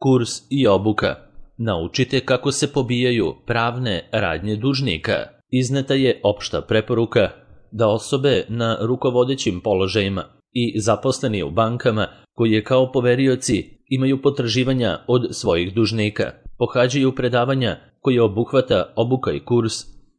Kurs i obuka. Naučite kako se pobijaju pravne radnje dužnika. Izneta je opšta preporuka da osobe na rukovodećim položajima i zaposleni u bankama koji kao poverioci imaju potraživanja od svojih dužnika pohađaju predavanja koje obuhvata obuka i kurs.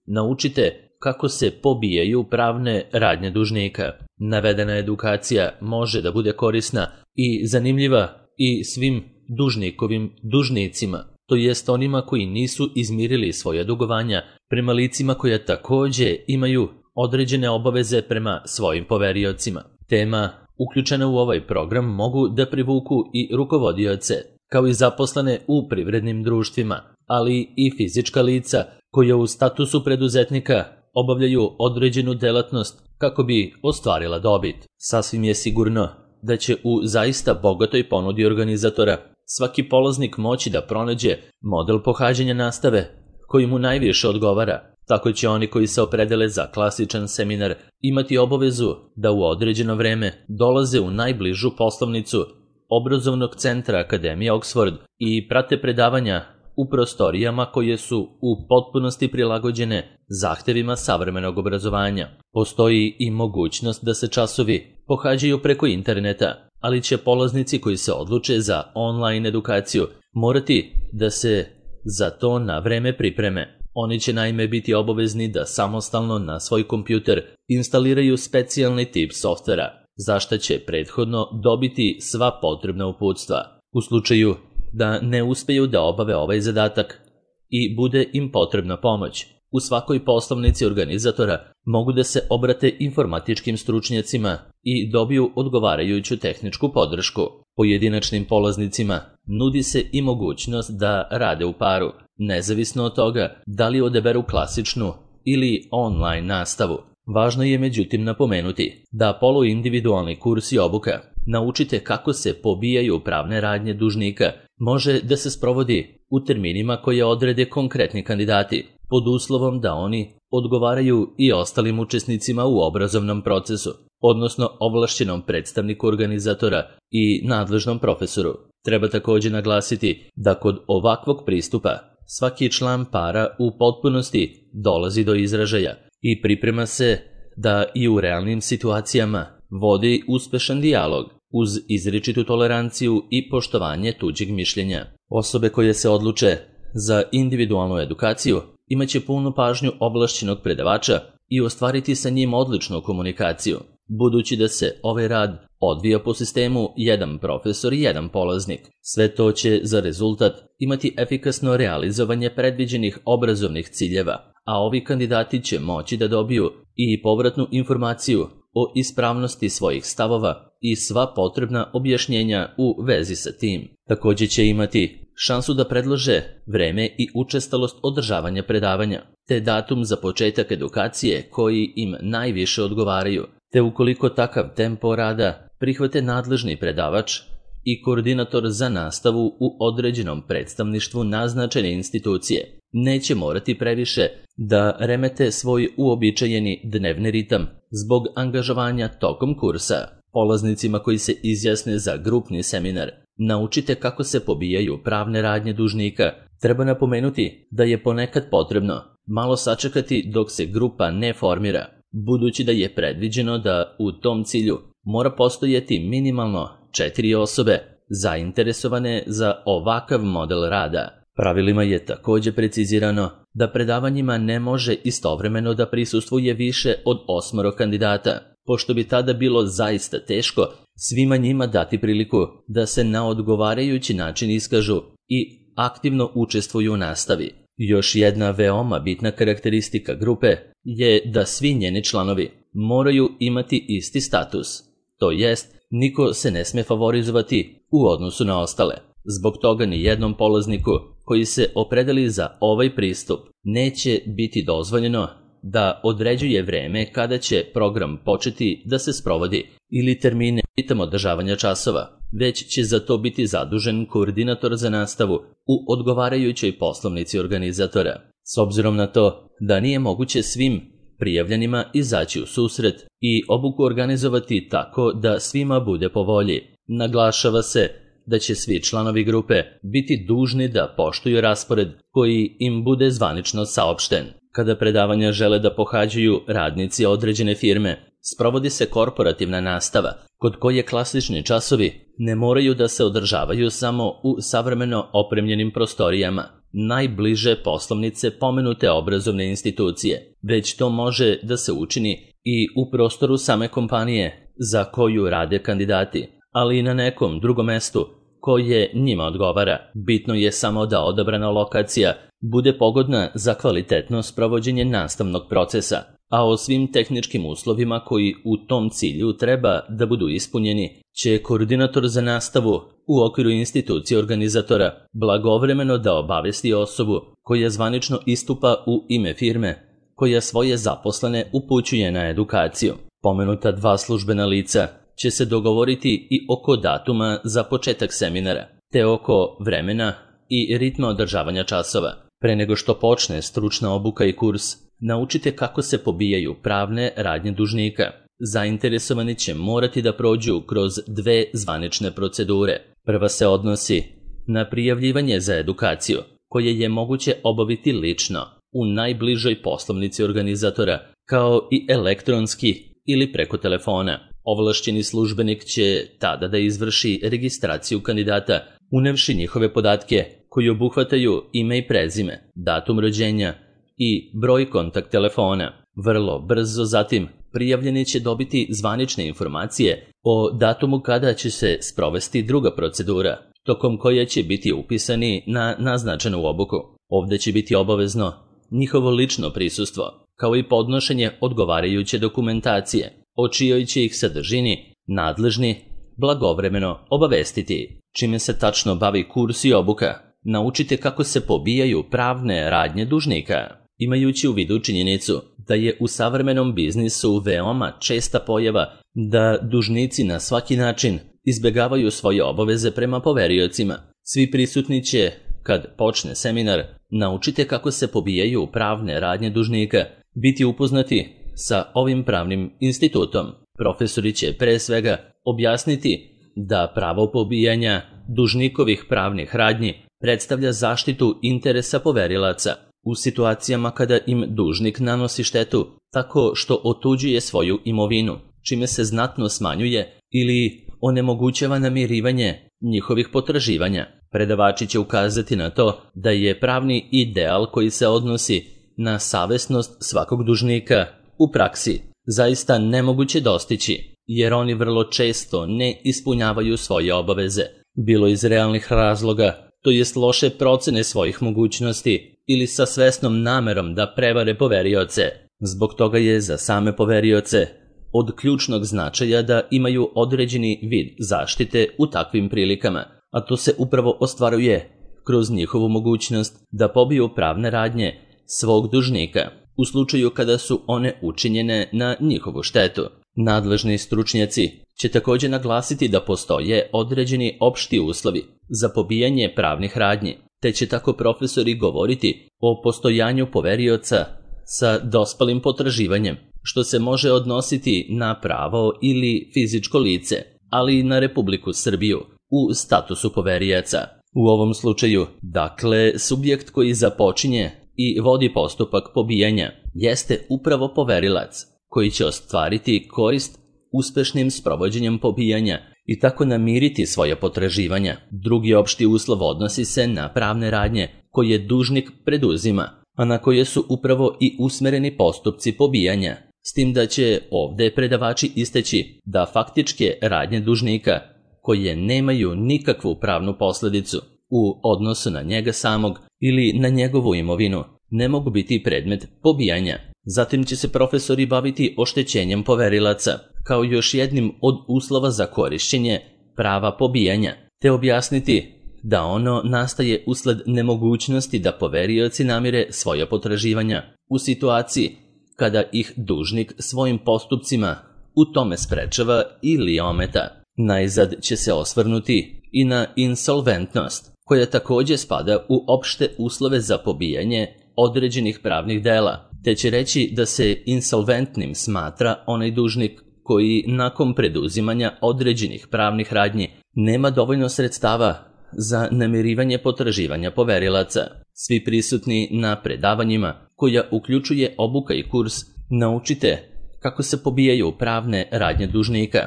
Naučite kako se pobijaju pravne radnje dužnika. Navedena edukacija može da bude korisna i zanimljiva i svim dužnikovim dužnicima, to jest onima koji nisu izmirili svoja dugovanja prema licima koja takođe imaju određene obaveze prema svojim poveriocima. Tema uključena u ovaj program mogu da privuku i rukovodioce, kao i zaposlene u privrednim društvima, ali i fizička lica koja u statusu preduzetnika obavljaju određenu delatnost kako bi ostvarila dobit. Sasvim je sigurno da će u zaista bogatoj ponudi organizatora svaki polaznik moći da pronađe model pohađanja nastave koji mu najviše odgovara. Tako će oni koji se opredele za klasičan seminar imati obavezu da u određeno vreme dolaze u najbližu poslovnicu obrazovnog centra Akademije Oxford i prate predavanja u prostorijama koje su u potpunosti prilagođene zahtevima savremenog obrazovanja. Postoji i mogućnost da se časovi pohađaju preko interneta, ali će polaznici koji se odluče za online edukaciju morati da se za to na vreme pripreme. Oni će naime biti obavezni da samostalno na svoj kompjuter instaliraju specijalni tip softvera, za šta će prethodno dobiti sva potrebna uputstva. U slučaju da ne uspeju da obave ovaj zadatak i bude im potrebna pomoć, u svakoj poslovnici organizatora mogu da se obrate informatičkim stručnjacima i dobiju odgovarajuću tehničku podršku. Pojedinačnim polaznicima nudi se i mogućnost da rade u paru, nezavisno od toga da li odaberu klasičnu ili online nastavu. Važno je međutim napomenuti da poluindividualni kurs i obuka Naučite kako se pobijaju pravne radnje dužnika može da se sprovodi u terminima koje odrede konkretni kandidati, pod uslovom da oni odgovaraju i ostalim učesnicima u obrazovnom procesu, odnosno ovlašćenom predstavniku organizatora i nadležnom profesoru. Treba također naglasiti da kod ovakvog pristupa svaki član para u potpunosti dolazi do izražaja i priprema se da i u realnim situacijama vodi uspešan dijalog uz izričitu toleranciju i poštovanje tuđeg mišljenja. Osobe koje se odluče za individualnu edukaciju imaće punu pažnju ovlašćenog predavača i ostvariti sa njim odličnu komunikaciju, budući da se ovaj rad odvija po sistemu jedan profesor i jedan polaznik. Sve to će za rezultat imati efikasno realizovanje predviđenih obrazovnih ciljeva, a ovi kandidati će moći da dobiju i povratnu informaciju o ispravnosti svojih stavova i sva potrebna objašnjenja u vezi sa tim. Također će imati šansu da predlože vreme i učestalost održavanja predavanja, te datum za početak edukacije koji im najviše odgovaraju, te ukoliko takav tempo rada prihvate nadležni predavač i koordinator za nastavu u određenom predstavništvu naznačene institucije, neće morati previše da remete svoj uobičajeni dnevni ritam zbog angažovanja tokom kursa. Polaznicima koji se izjasne za grupni seminar Naučite kako se pobijaju pravne radnje dužnika, treba napomenuti da je ponekad potrebno malo sačekati dok se grupa ne formira, budući da je predviđeno da u tom cilju mora postojati minimalno 4 osobe zainteresovane za ovakav model rada. Pravilima je također precizirano da predavanjima ne može istovremeno da prisustvuje više od 8 kandidata, pošto bi tada bilo zaista teško svima njima dati priliku da se na odgovarajući način iskažu i aktivno učestvuju u nastavi. Još jedna veoma bitna karakteristika grupe je da svi njeni članovi moraju imati isti status, to jest niko se ne sme favorizovati u odnosu na ostale. Zbog toga ni jednom polazniku koji se opredeli za ovaj pristup neće biti dozvoljeno da određuje vreme kada će program početi da se sprovodi ili termine ritam održavanja časova, već će za to biti zadužen koordinator za nastavu u odgovarajućoj poslovnici organizatora. S obzirom na to da nije moguće svim prijavljenima izaći u susret i obuku organizovati tako da svima bude po volji, naglašava se da će svi članovi grupe biti dužni da poštuju raspored koji im bude zvanično saopšten. Kada predavanja žele da pohađaju radnici određene firme, sprovodi se korporativna nastava, kod koje klasični časovi ne moraju da se održavaju samo u savremeno opremljenim prostorijama najbliže poslovnice pomenute obrazovne institucije, već to može da se učini i u prostoru same kompanije za koju rade kandidati, ali i na nekom drugom mestu koje njima odgovara. Bitno je samo da odabrana lokacija bude pogodna za kvalitetno sprovođenje nastavnog procesa, a o svim tehničkim uslovima koji u tom cilju treba da budu ispunjeni će koordinator za nastavu u okviru institucije organizatora blagovremeno da obavesti osobu koja zvanično istupa u ime firme koja svoje zaposlene upućuje na edukaciju. Pomenuta dva službena lica će se dogovoriti i oko datuma za početak seminara, te oko vremena i ritma održavanja časova. Pre nego što počne stručna obuka i kurs, naučite kako se pobijaju pravne radnje dužnika. Zainteresovani će morati da prođu kroz dve zvanične procedure. Prva se odnosi na prijavljivanje za edukaciju, koje je moguće obaviti lično u najbližoj poslovnici organizatora, kao i elektronski ili preko telefona. Ovlašćeni službenik će tada da izvrši registraciju kandidata, unevši njihove podatke koji obuhvataju ime i prezime, datum rođenja i broj kontakt telefona. Vrlo brzo zatim prijavljeni će dobiti zvanične informacije o datumu kada će se sprovesti druga procedura, tokom koje će biti upisani na naznačenu obuku. Ovde će biti obavezno njihovo lično prisustvo, kao i podnošenje odgovarajuće dokumentacije, o čijoj će ih sadržini nadležni blagovremeno obavestiti. Čime se tačno bavi kurs i obuka, naučite kako se pobijaju pravne radnje dužnika. Imajući u vidu činjenicu da je u savremenom biznisu veoma česta pojava da dužnici na svaki način izbegavaju svoje obaveze prema poveriocima, svi prisutni će, kad počne seminar, naučite kako se pobijaju pravne radnje dužnika, biti upoznati sa ovim pravnim institutom. Profesori će pre svega objasniti da pravo pobijanja dužnikovih pravnih radnji predstavlja zaštitu interesa poverilaca u situacijama kada im dužnik nanosi štetu tako što otuđuje svoju imovinu, čime se znatno smanjuje ili onemogućava namirivanje njihovih potraživanja. Predavači će ukazati na to da je pravni ideal koji se odnosi na savesnost svakog dužnika u praksi zaista nemoguće dostići, jer oni vrlo često ne ispunjavaju svoje obaveze, bilo iz realnih razloga, to jest loše procene svojih mogućnosti ili sa svesnom namerom da prevare poverioce. Zbog toga je za same poverioce od ključnog značaja da imaju određeni vid zaštite u takvim prilikama, a to se upravo ostvaruje kroz njihovu mogućnost da pobiju pravne radnje svog dužnika u slučaju kada su one učinjene na njihovu štetu. Nadležni stručnjaci će također naglasiti da postoje određeni opšti uslovi za pobijanje pravnih radnji, te će tako profesori govoriti o postojanju poverioca sa dospalim potraživanjem, što se može odnositi na pravo ili fizičko lice, ali i na Republiku Srbiju u statusu poverijaca. U ovom slučaju, dakle, subjekt koji započinje i vodi postupak pobijanja jeste upravo poverilac, koji će ostvariti korist uspešnim sprovođenjem pobijanja i tako namiriti svoje potraživanja. Drugi opšti uslov odnosi se na pravne radnje koje dužnik preduzima, a na koje su upravo i usmereni postupci pobijanja, s tim da će ovde predavači isteći da faktičke radnje dužnika, koje nemaju nikakvu pravnu posledicu u odnosu na njega samog ili na njegovu imovinu, ne mogu biti predmet pobijanja. Zatim će se profesori baviti oštećenjem poverilaca, kao još jednim od uslova za korišćenje prava pobijanja, te objasniti da ono nastaje usled nemogućnosti da poverioci namire svoja potraživanja u situaciji kada ih dužnik svojim postupcima u tome sprečava ili ometa. Najzad će se osvrnuti i na insolventnost, koja također spada u opšte uslove za pobijanje određenih pravnih dela, te će reći da se insolventnim smatra onaj dužnik koji nakon preduzimanja određenih pravnih radnji nema dovoljno sredstava za namirivanje potraživanja poverilaca. Svi prisutni na predavanjima, koja uključuje obuka i kurs, naučite kako se pobijaju pravne radnje dužnika.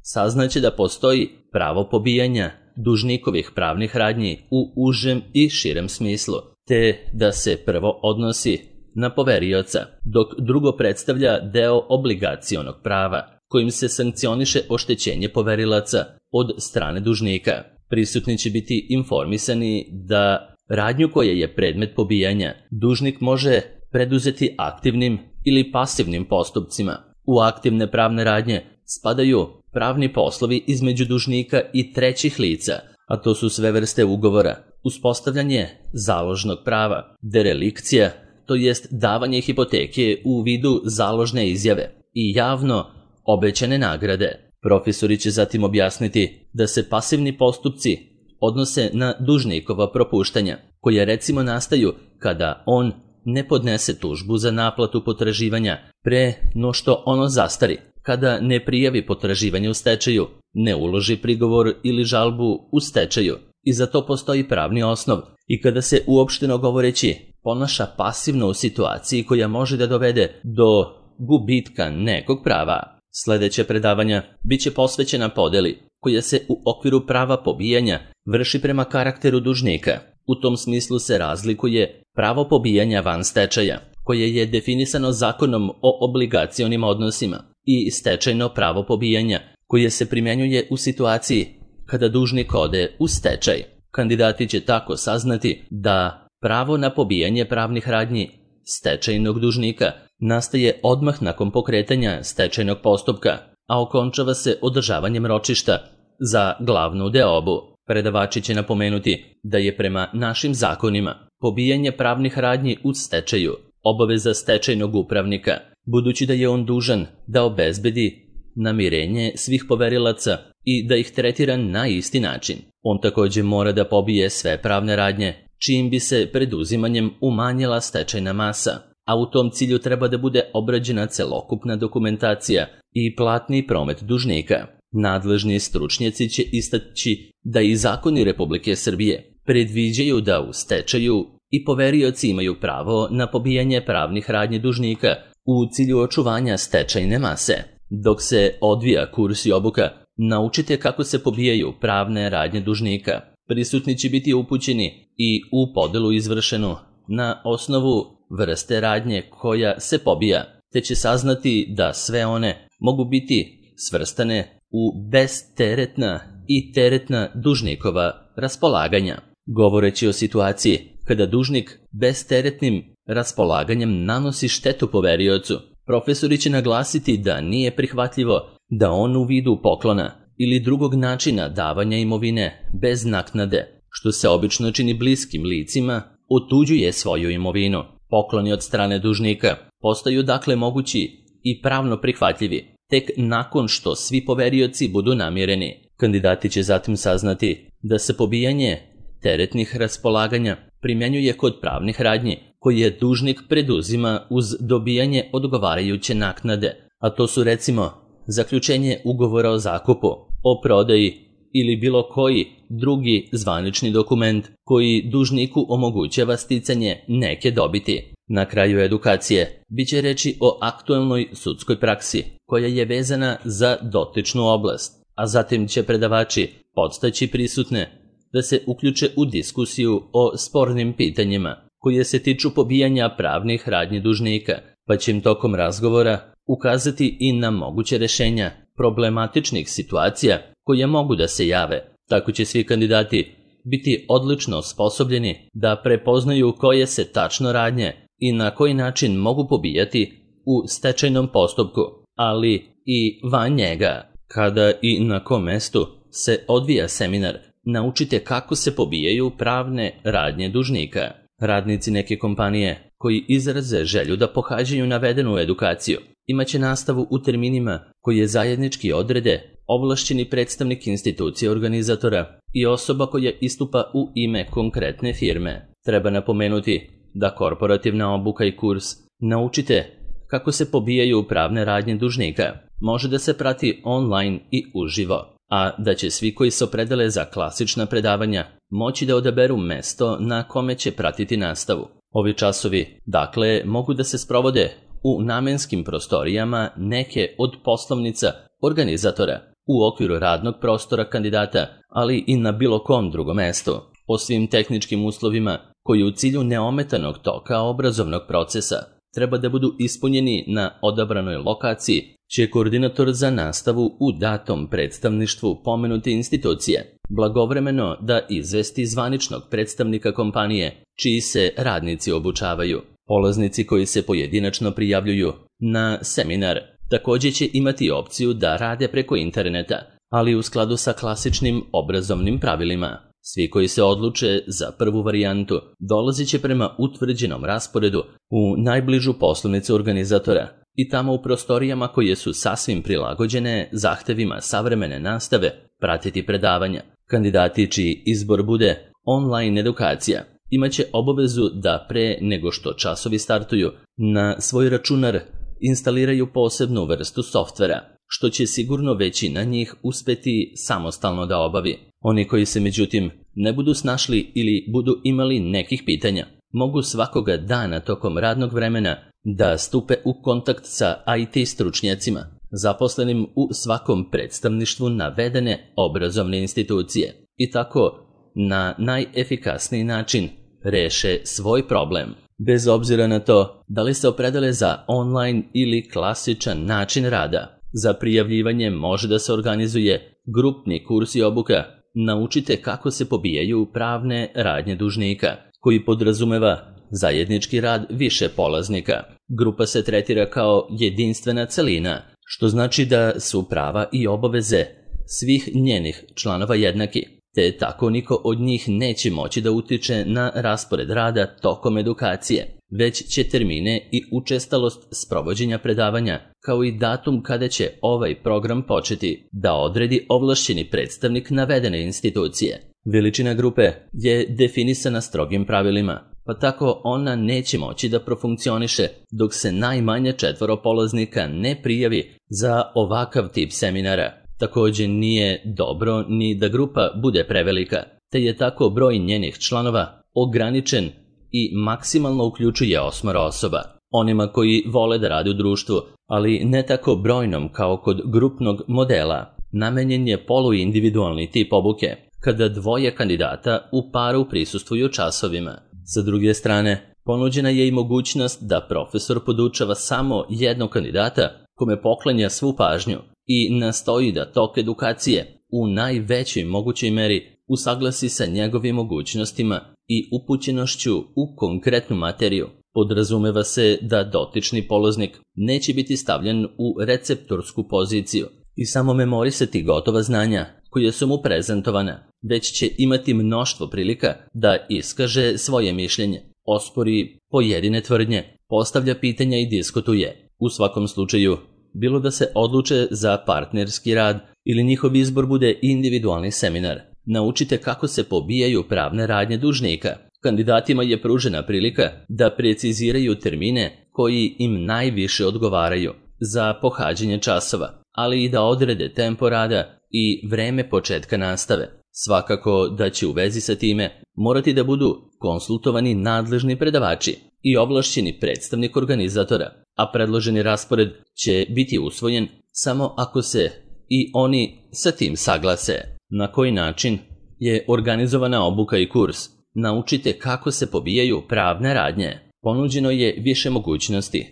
Saznaće da postoji pravo pobijanja dužnikovih pravnih radnji u užem i širem smislu, te da se prvo odnosi na poverioca, dok drugo predstavlja deo obligacionog prava, kojim se sankcioniše oštećenje poverilaca od strane dužnika. Prisutni će biti informisani da radnju koja je predmet pobijanja dužnik može preduzeti aktivnim ili pasivnim postupcima. U aktivne pravne radnje spadaju pravni poslovi između dužnika i trećih lica, a to su sve vrste ugovora, uspostavljanje založnog prava, derelikcija, to jest davanje hipoteke u vidu založne izjave i javno obećane nagrade. Profesori će zatim objasniti da se pasivni postupci odnose na dužnikova propuštanja, koje recimo nastaju kada on ne podnese tužbu za naplatu potraživanja pre no što ono zastari, kada ne prijavi potraživanje u stečaju, ne uloži prigovor ili žalbu u stečaju i za to postoji pravni osnov, i kada se uopšteno govoreći ponaša pasivno u situaciji koja može da dovede do gubitka nekog prava. Sljedeće predavanja biće posvećena podeli koja se u okviru prava pobijanja vrši prema karakteru dužnika. U tom smislu se razlikuje pravo pobijanja van stečaja, koje je definisano Zakonom o obligacionim odnosima, i stečajno pravo pobijanja, koje se primjenjuje u situaciji kada dužnik ode u stečaj. Kandidati će tako saznati da pravo na pobijanje pravnih radnji stečajnog dužnika nastaje odmah nakon pokretanja stečajnog postupka, a okončava se održavanjem ročišta za glavnu deobu. Predavači će napomenuti da je prema našim zakonima pobijanje pravnih radnji u stečaju obaveza stečajnog upravnika, budući da je on dužan da obezbedi namirenje svih poverilaca i da ih tretira na isti način. On također mora da pobije sve pravne radnje, čijim bi se preduzimanjem umanjila stečajna masa, a u tom cilju treba da bude obrađena celokupna dokumentacija i platni promet dužnika. Nadležni stručnjaci će istaći da i zakoni Republike Srbije predviđaju da u stečaju i poverioci imaju pravo na pobijanje pravnih radnji dužnika u cilju očuvanja stečajne mase. Dok se odvija kurs i obuka, naučite kako se pobijaju pravne radnje dužnika. Prisutni će biti upućeni i u podelu izvršenu na osnovu vrste radnje koja se pobija, te će saznati da sve one mogu biti svrstane u bezteretna i teretna dužnikova raspolaganja. Govoreći o situaciji kada dužnik bezteretnim raspolaganjem nanosi štetu poveriocu, profesori će naglasiti da nije prihvatljivo da on u vidu poklona ili drugog načina davanja imovine bez naknade, što se obično čini bliskim licima, otuđuje svoju imovinu. Pokloni od strane dužnika postaju dakle mogući i pravno prihvatljivi tek nakon što svi poverioci budu namireni. Kandidati će zatim saznati da se pobijanje teretnih raspolaganja primjenjuje kod pravnih radnji koje dužnik preduzima uz dobijanje odgovarajuće naknade, a to su recimo zaključenje ugovora o zakupu, o prodaji ili bilo koji drugi zvanični dokument koji dužniku omogućava sticanje neke dobiti. Na kraju edukacije biće reči o aktuelnoj sudskoj praksi koja je vezana za dotičnu oblast, a zatim će predavači podstaći prisutne da se uključe u diskusiju o spornim pitanjima koje se tiču pobijanja pravnih radnji dužnika, pa će im tokom razgovora ukazati i na moguće rješenja problematičnih situacija koje mogu da se jave. Tako će svi kandidati biti odlično osposobljeni da prepoznaju koje se tačno radnje i na koji način mogu pobijati u stečajnom postupku, ali i van njega. Kada i na kom mestu se odvija seminar, naučite kako se pobijaju pravne radnje dužnika. Radnici neke kompanije koji izraze želju da pohađaju navedenu edukaciju imaće nastavu u terminima koje zajednički odrede ovlašćeni predstavnik institucije organizatora i osoba koja istupa u ime konkretne firme. Treba napomenuti da korporativna obuka i kurs naučite kako se pobijaju pravne radnje dužnika može da se prati online i uživo, a da će svi koji se opredele za klasična predavanja moći da odaberu mesto na kome će pratiti nastavu. Ovi časovi, dakle, mogu da se sprovode u namenskim prostorijama neke od poslovnica organizatora, u okviru radnog prostora kandidata, ali i na bilo kom drugom mestu, po svim tehničkim uslovima koji u cilju neometanog toka obrazovnog procesa treba da budu ispunjeni na odabranoj lokaciji, će koordinator za nastavu u datom predstavništvu pomenute institucije blagovremeno da izvesti zvaničnog predstavnika kompanije čiji se radnici obučavaju. Polaznici koji se pojedinačno prijavljuju na seminar također će imati opciju da rade preko interneta, ali u skladu sa klasičnim obrazovnim pravilima. Svi koji se odluče za prvu varijantu dolazit će prema utvrđenom rasporedu u najbližu poslovnicu organizatora i tamo u prostorijama koje su sasvim prilagođene zahtevima savremene nastave pratiti predavanja. Kandidati čiji izbor bude online edukacija imaće obavezu da pre nego što časovi startuju na svoj računar instaliraju posebnu vrstu softvera, što će sigurno većina njih uspeti samostalno da obavi. Oni koji se međutim ne budu snašli ili budu imali nekih pitanja, mogu svakoga dana tokom radnog vremena da stupe u kontakt sa IT stručnjacima, zaposlenim u svakom predstavništvu navedene obrazovne institucije i tako na najefikasniji način reše svoj problem. Bez obzira na to da li se opredele za online ili klasičan način rada, za prijavljivanje može da se organizuje grupni kurs i obuka Naučite kako se pobijaju pravne radnje dužnika, koji podrazumeva zajednički rad više polaznika. Grupa se tretira kao jedinstvena celina, što znači da su prava i obaveze svih njenih članova jednaki, te tako niko od njih neće moći da utiče na raspored rada tokom edukacije, već će termine i učestalost sprovođenja predavanja, kao i datum kada će ovaj program početi, da odredi ovlašćeni predstavnik navedene institucije. Veličina grupe je definisana strogim pravilima, pa tako ona neće moći da profunkcioniše dok se najmanje 4 polaznika ne prijavi za ovakav tip seminara. Također nije dobro ni da grupa bude prevelika, te je tako broj njenih članova ograničen i maksimalno uključuje 8 osoba. Onima koji vole da rade u društvu, ali ne tako brojnom kao kod grupnog modela, namenjen je poluindividualni tip obuke, kada 2 kandidata u paru prisustvuju časovima. Sa druge strane, ponuđena je i mogućnost da profesor podučava samo jednog kandidata kome poklanja svu pažnju i nastoji da tok edukacije u najvećoj mogućoj meri usaglasi sa njegovim mogućnostima i upućenošću u konkretnu materiju. Podrazumeva se da dotični polaznik neće biti stavljen u receptorsku poziciju i samo memorisati gotova znanja koje su mu prezentovana, već će imati mnoštvo prilika da iskaže svoje mišljenje, ospori pojedine tvrdnje, postavlja pitanja i diskutuje. U svakom slučaju, bilo da se odluče za partnerski rad ili njihov izbor bude individualni seminar, naučite kako se pobijaju pravne radnje dužnika. Kandidatima je pružena prilika da preciziraju termine koji im najviše odgovaraju za pohađanje časova, ali i da odrede tempo rada i vreme početka nastave. Svakako da će u vezi sa time morati da budu konsultovani nadležni predavači i ovlašćeni predstavnik organizatora, a predloženi raspored će biti usvojen samo ako se i oni sa tim saglase. Na koji način je organizovana obuka i kurs? Naučite kako se pobijaju pravne radnje. Ponuđeno je više mogućnosti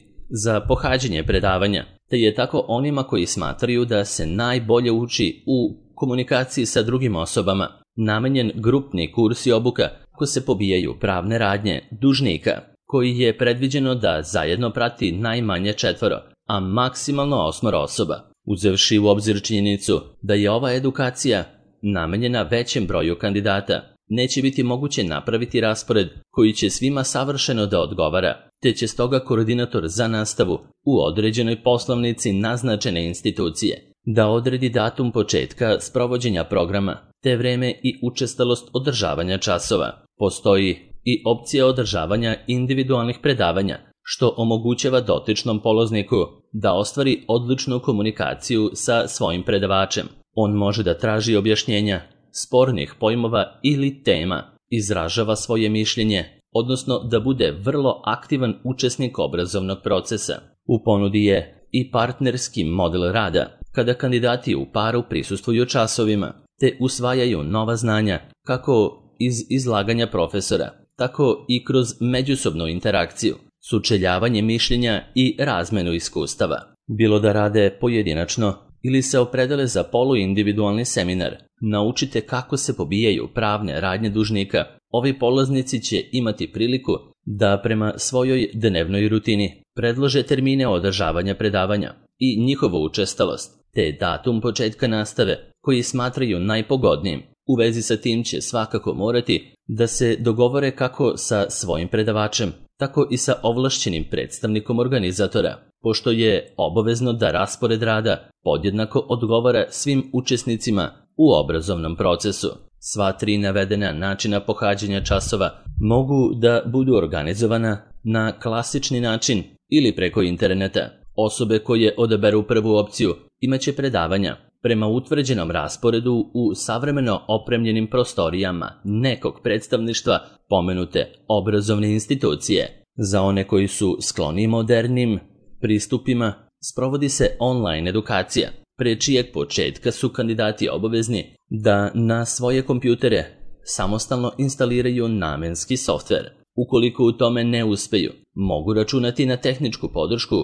za pohađanje predavanja, te je tako onima koji smatraju da se najbolje uči u komunikaciji sa drugim osobama namenjen grupni kurs i obuka kako se pobijaju pravne radnje dužnika, koji je predviđeno da zajedno prati najmanje 4, a maksimalno 8 osoba. Uzevši u obzir činjenicu da je ova edukacija namenjena većem broju kandidata, neće biti moguće napraviti raspored koji će svima savršeno da odgovara, te će stoga koordinator za nastavu u određenoj poslovnici naznačene institucije da odredi datum početka sprovođenja programa, te vreme i učestalost održavanja časova. Postoji i opcija održavanja individualnih predavanja, što omogućava dotičnom polazniku da ostvari odličnu komunikaciju sa svojim predavačem. On može da traži objašnjenja spornih pojmova ili tema, izražava svoje mišljenje, odnosno da bude vrlo aktivan učesnik obrazovnog procesa. U ponudi je i partnerski model rada, kada kandidati u paru prisustvuju časovima, te usvajaju nova znanja, kako iz izlaganja profesora, tako i kroz međusobnu interakciju, sučeljavanje mišljenja i razmenu iskustava. Bilo da rade pojedinačno ili se opredele za poluindividualni seminar, naučite kako se pobijaju pravne radnje dužnika. Ovi polaznici će imati priliku da prema svojoj dnevnoj rutini predlože termine održavanja predavanja i njihovu učestalost, te datum početka nastave koji smatraju najpogodnijim. U vezi sa tim će svakako morati da se dogovore kako sa svojim predavačem, tako i sa ovlašćenim predstavnikom organizatora, pošto je obavezno da raspored rada podjednako odgovara svim učesnicima u obrazovnom procesu. Sva 3 navedena načina pohađanja časova mogu da budu organizovana na klasični način ili preko interneta. Osobe koje odaberu prvu opciju imaće predavanja prema utvrđenom rasporedu u savremeno opremljenim prostorijama nekog predstavništva pomenute obrazovne institucije. Za one koji su skloni modernim pristupima, sprovodi se online edukacija, pre čijeg početka su kandidati obavezni da na svoje kompjutere samostalno instaliraju namenski softver. Ukoliko u tome ne uspeju, mogu računati na tehničku podršku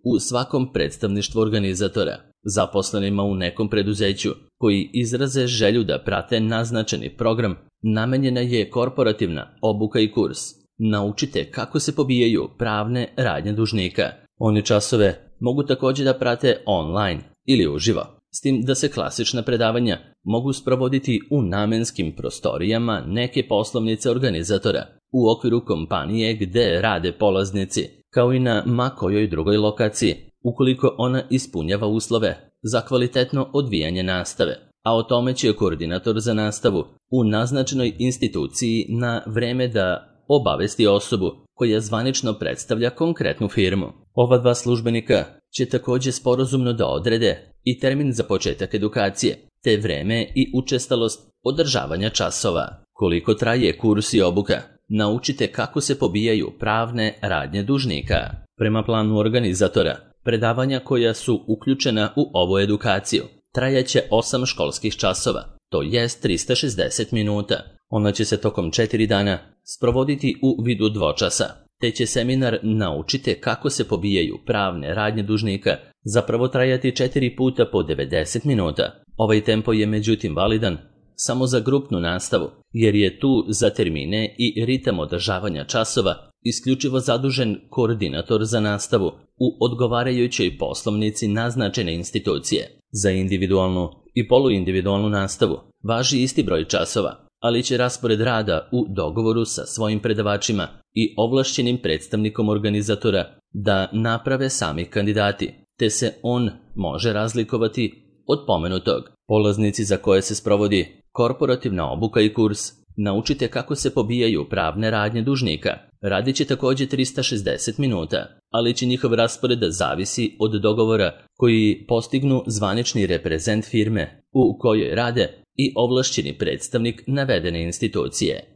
u svakom predstavništvu organizatora. Zaposlenima u nekom preduzeću koji izraze želju da prate naznačeni program, namenjena je korporativna obuka i kurs. Naučite kako se pobijaju pravne radnje dužnika. Oni časove mogu također da prate online ili uživo, s tim da se klasična predavanja mogu sprovoditi u namenskim prostorijama neke poslovnice organizatora, u okviru kompanije gde rade polaznici, kao i na ma kojoj drugoj lokaciji, ukoliko ona ispunjava uslove za kvalitetno odvijanje nastave, a o tome će koordinator za nastavu u naznačenoj instituciji na vreme da obavesti osobu koja zvanično predstavlja konkretnu firmu. Ova 2 službenika će također sporazumno da odrede i termin za početak edukacije, te vreme i učestalost održavanja časova. Koliko traje kurs i obuka? Naučite kako se pobijaju pravne radnje dužnika. Prema planu organizatora, predavanja koja su uključena u ovu edukaciju trajaće 8 školskih časova, to jest 360 minuta. Ona će se tokom 4 dana sprovoditi u vidu dvočasa, te će seminar Naučite kako se pobijaju pravne radnje dužnika zapravo trajati 4 puta po 90 minuta. Ovaj tempo je međutim validan samo za grupnu nastavu, jer je tu za termine i ritam održavanja časova isključivo zadužen koordinator za nastavu u odgovarajućoj poslovnici naznačene institucije. Za individualnu i poluindividualnu nastavu važi isti broj časova, ali će raspored rada u dogovoru sa svojim predavačima i ovlašćenim predstavnikom organizatora da naprave sami kandidati, te se on može razlikovati od pomenutog. Polaznici za koje se sprovodi korporativna obuka i kurs Naučite kako se pobijaju pravne radnje dužnika radit će također 360 minuta, ali će njihov raspored zavisi od dogovora koji postignu zvanični reprezent firme u kojoj rade i ovlašćeni predstavnik navedene institucije.